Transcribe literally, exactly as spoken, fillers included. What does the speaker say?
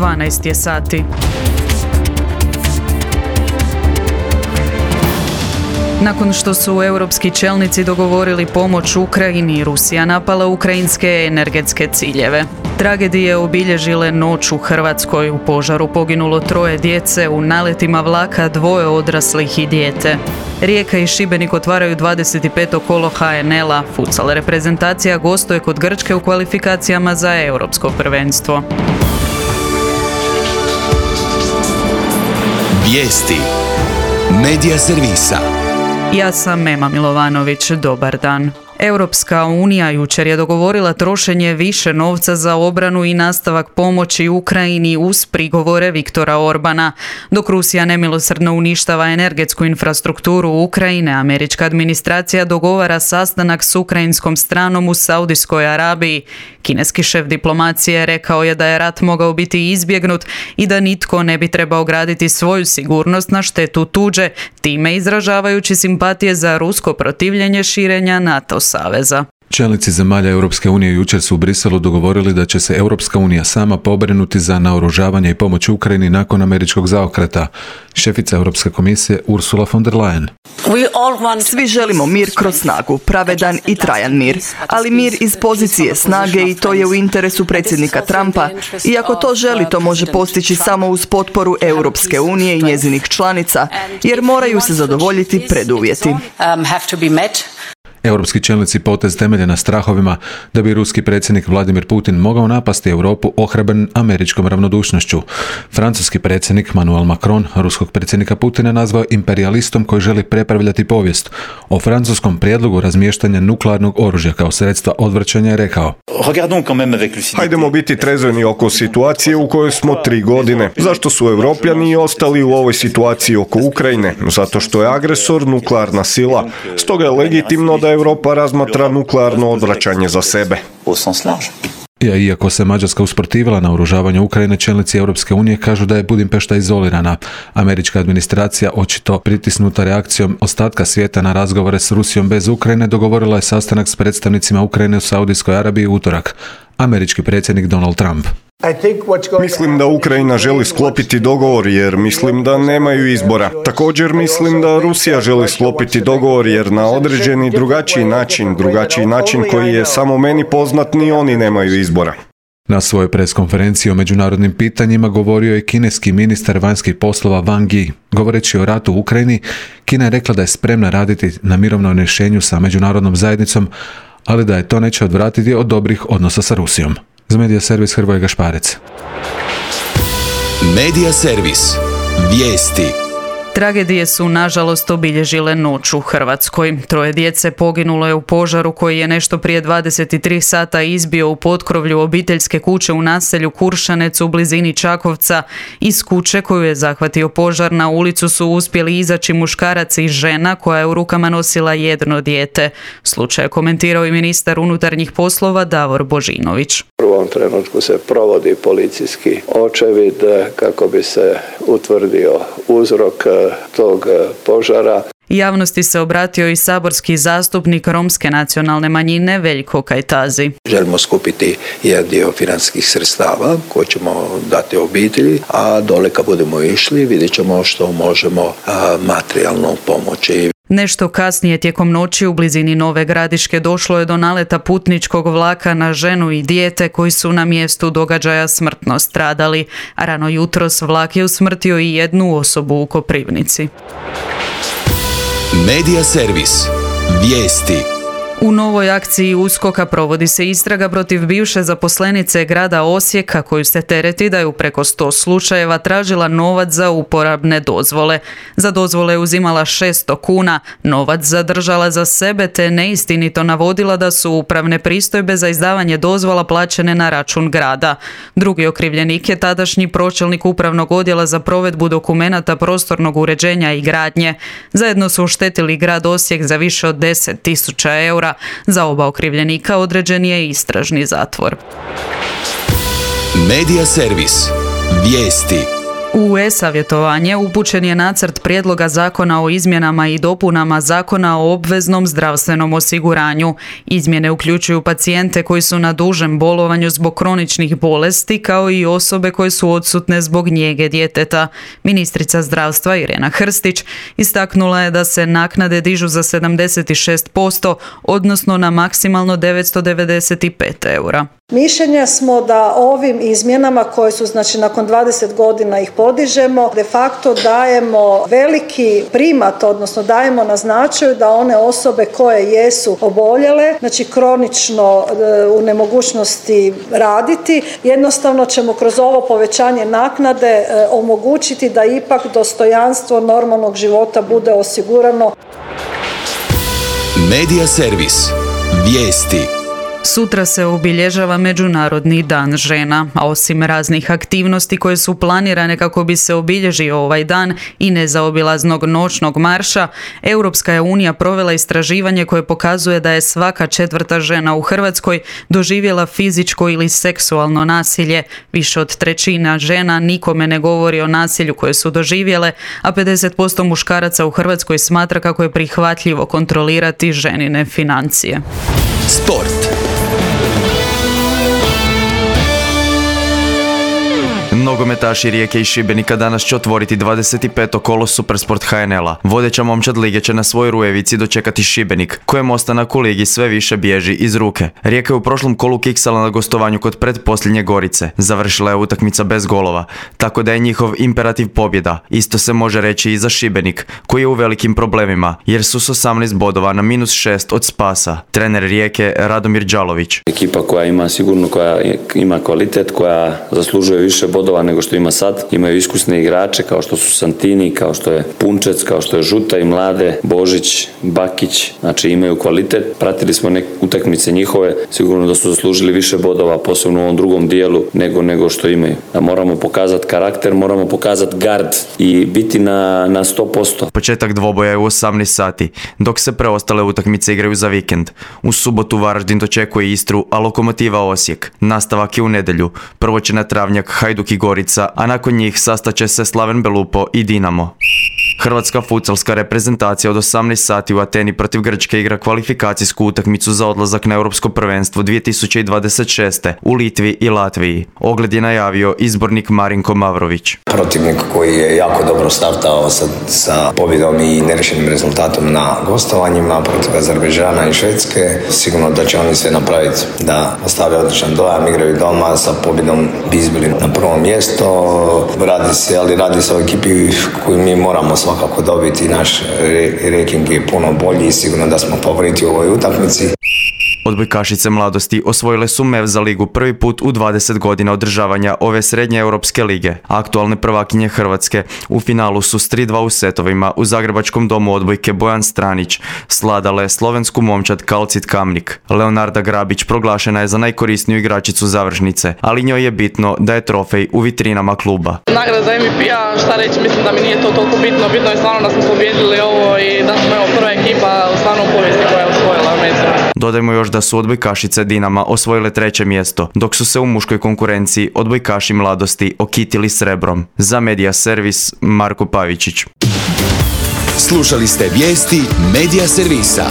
dvanaest je sati. Nakon što su europski čelnici dogovorili pomoć Ukrajini, Rusija napala ukrajinske energetske ciljeve. Tragedije obilježile noć u Hrvatskoj. U požaru poginulo troje djece, u naletima vlaka dvoje odraslih i dijete. Rijeka i Šibenik otvaraju dvadeset peto kolo ha en el-a. Futsal reprezentacija gostuje kod Grčke u kvalifikacijama za europsko prvenstvo. Vijesti Medija servisa. Ja sam Mema Milovanović, dobar dan. Europska unija jučer je dogovorila trošenje više novca za obranu i nastavak pomoći Ukrajini uz prigovore Viktora Orbana. Dok Rusija nemilosrdno uništava energetsku infrastrukturu Ukrajine, američka administracija dogovara sastanak s ukrajinskom stranom u Saudijskoj Arabiji. Kineski šef diplomacije rekao je da je rat mogao biti izbjegnut i da nitko ne bi trebao graditi svoju sigurnost na štetu tuđe, time izražavajući simpatije za rusko protivljenje širenja NATO saveza. Čelnici zemalja Europske unije jučer su u Briselu dogovorili da će se Europska unija sama pobrinuti za naoružavanje i pomoć Ukrajini nakon američkog zaokreta. Šefica Europske komisije Ursula von der Leyen. Svi želimo mir kroz snagu, pravedan i trajan mir, ali mir iz pozicije snage i to je u interesu predsjednika Trumpa. I ako to želi, to može postići samo uz potporu Europske unije i njezinih članica, jer moraju se zadovoljiti preduvjeti. Europski čelnici potez temelje na strahovima da bi ruski predsjednik Vladimir Putin mogao napasti Europu ohrabren američkom ravnodušnošću. Francuski predsjednik Emmanuel Macron ruskog predsjednika Putina nazvao imperijalistom koji želi prepravljati povijest. O francuskom prijedlogu razmještanja nuklearnog oružja kao sredstva odvraćanja je rekao: Hajdemo biti trezveni oko situacije u kojoj smo tri godine. Zašto su Europljani ostali u ovoj situaciji oko Ukrajine? Zato što je agresor nuklearna sila. Stoga je legitimno da Europa razmatra nuklearno odvraćanje za sebe. Ja, iako se Mađarska usprotivila na oružavanju Ukrajine, čelnici Europske unije kažu da je Budimpešta izolirana. Američka administracija, očito pritisnuta reakcijom ostatka svijeta na razgovore s Rusijom bez Ukrajine, dogovorila je sastanak s predstavnicima Ukrajine u Saudijskoj Arabiji u utorak. Američki predsjednik Donald Trump. Mislim da Ukrajina želi sklopiti dogovor jer mislim da nemaju izbora. Također mislim da Rusija želi sklopiti dogovor jer na određeni drugačiji način, drugačiji način koji je samo meni poznat, ni oni nemaju izbora. Na svojoj preskonferenciji o međunarodnim pitanjima govorio je kineski ministar vanjskih poslova Wang Yi. Govoreći o ratu u Ukrajini, Kina je rekla da je spremna raditi na mirovnom rješenju sa međunarodnom zajednicom, ali da je to neće odvratiti od dobrih odnosa sa Rusijom. Za Medija servis Hrvoje Gašparec. Medija servis. Vijesti. Tragedije su nažalost obilježile noć u Hrvatskoj. Troje djece poginulo je u požaru koji je nešto prije dvadeset tri sata izbio u potkrovlju obiteljske kuće u naselju Kuršanec u blizini Čakovca. Iz kuće koju je zahvatio požar na ulicu su uspjeli izaći muškarac i žena koja je u rukama nosila jedno dijete. Slučaj je komentirao i ministar unutarnjih poslova Davor Božinović. U ovom trenutku se provodi policijski očevid kako bi se utvrdio uzrok tog požara. Javnosti se obratio i saborski zastupnik romske nacionalne manjine Veljko Kajtazi. Želimo skupiti jedan dio financijskih sredstava koje ćemo dati obitelji, a dole kad budemo išli vidjet ćemo što možemo materijalno pomoći. Nešto kasnije tijekom noći u blizini Nove Gradiške došlo je do naleta putničkog vlaka na ženu i dijete koji su na mjestu događaja smrtno stradali, a rano jutros vlak je usmrtio i jednu osobu u Koprivnici. Medija servis. Vijesti. U novoj akciji USKOK-a provodi se istraga protiv bivše zaposlenice grada Osijeka koju se tereti da je u preko sto slučajeva tražila novac za uporabne dozvole. Za dozvole je uzimala šesto kuna, novac zadržala za sebe te neistinito navodila da su upravne pristojbe za izdavanje dozvola plaćene na račun grada. Drugi okrivljenik je tadašnji pročelnik upravnog odjela za provedbu dokumenata prostornog uređenja i gradnje. Zajedno su oštetili grad Osijek za više od deset tisuća eura. Za oba okrivljenika određen je istražni zatvor. Medija servis. Vijesti. U e-savjetovanje upućen je nacrt prijedloga zakona o izmjenama i dopunama Zakona o obveznom zdravstvenom osiguranju. Izmjene uključuju pacijente koji su na dužem bolovanju zbog kroničnih bolesti, kao i osobe koje su odsutne zbog njege djeteta. Ministrica zdravstva Irena Hrstić istaknula je da se naknade dižu za sedamdeset šest posto, odnosno na maksimalno devetsto devedeset pet eura. Mišljenja smo da ovim izmjenama koje su, znači nakon dvadeset godina ih podižemo, de facto dajemo veliki primat, odnosno dajemo na značaju da one osobe koje jesu oboljele, znači kronično u nemogućnosti raditi, jednostavno ćemo kroz ovo povećanje naknade omogućiti da ipak dostojanstvo normalnog života bude osigurano. Medija servis. Vijesti. Sutra se obilježava Međunarodni dan žena, a osim raznih aktivnosti koje su planirane kako bi se obilježio ovaj dan i nezaobilaznog noćnog marša, Europska je unija provela istraživanje koje pokazuje da je svaka četvrta žena u Hrvatskoj doživjela fizičko ili seksualno nasilje. Više od trećina žena nikome ne govori o nasilju koje su doživjele, a pedeset posto muškaraca u Hrvatskoj smatra kako je prihvatljivo kontrolirati ženine financije. Sport. Nogometaši Rijeke i Šibenika danas će otvoriti dvadeset peto kolo Supersport ha en el-a. Vodeća momčad lige će na svojoj Rujevici dočekati Šibenik, kojem ostanak u ligi sve više bježi iz ruke. Rijeka je u prošlom kolu kiksala na gostovanju kod pretposljednje Gorice. Završila je utakmica bez golova, tako da je njihov imperativ pobjeda. Isto se može reći i za Šibenik, koji je u velikim problemima, jer su s osamnaest bodova na minus šest od spasa. Trener Rijeke Radomir Đalović. Ekipa koja ima sigurno, koja ima kvalitet, koja zaslužuje više bodova nego što ima sad. Imaju iskusne igrače kao što su Santini, kao što je Punčec, kao što je Žuta i Mlade, Božić, Bakić. Znači imaju kvalitet. Pratili smo neke utakmice njihove. Sigurno da su zaslužili više bodova, posebno u ovom drugom dijelu, nego, nego što imaju. Da moramo pokazati karakter, moramo pokazati gard i biti na, na sto posto. Početak dvoboja je u osamnaest sati, dok se preostale utakmice igraju za vikend. U subotu Varaždin dočekuje Istru, a Lokomotiva Osijek. Nastavak je u nedjelju. Prvo će na travnjak Hajduk i Gorica, a nakon njih sastaće se Slaven Belupo i Dinamo. Hrvatska futsalska reprezentacija od osamnaest sati u Ateni protiv Grčke igra kvalifikacijsku utakmicu za odlazak na Europsko prvenstvo dvije tisuće dvadeset šeste u Litvi i Latviji. Ogled je najavio izbornik Marinko Mavrović. Protivnik koji je jako dobro startao sa, sa pobjedom i nerešenim rezultatom na gostovanjima protiv Azerbejdžana i Švedske. Sigurno da će oni sve napraviti da ostave odličan dojam, igraju doma, sa pobjedom bi izbili na prvo mjesto. Radi se, ali radi se o ekipi koju mi moramo svakako dobiti. Naš ranking je puno bolji i sigurno da smo favoriti u ovoj utakmici. Odbojkašice mladosti osvojile su mev za ligu prvi put u dvadeset godina održavanja ove srednje europske lige. Aktualne prvakinje Hrvatske u finalu su s tri dva u setovima u Zagrebačkom domu odbojke Bojan Stranić sladale slovensku momčad Kalcit Kamnik. Leonarda Grabić proglašena je za najkorisniju igračicu završnice, ali njoj je bitno da je trofej u vitrinama kluba. Nagrada za em ve pe-a, šta reći, mislim da mi nije to toliko bitno. Bitno je stvarno da smo pobjedili ovo i da smo evo prva ekipa u stvarno u povijesti koja je osvojila među. Dodajmo još da su odbojkašice Dinama osvojile treće mjesto, dok su se u muškoj konkurenciji odbojkaši mladosti okitili srebrom. Za Medija servis Marko Pavičić. Slušali ste vijesti Medija servisa.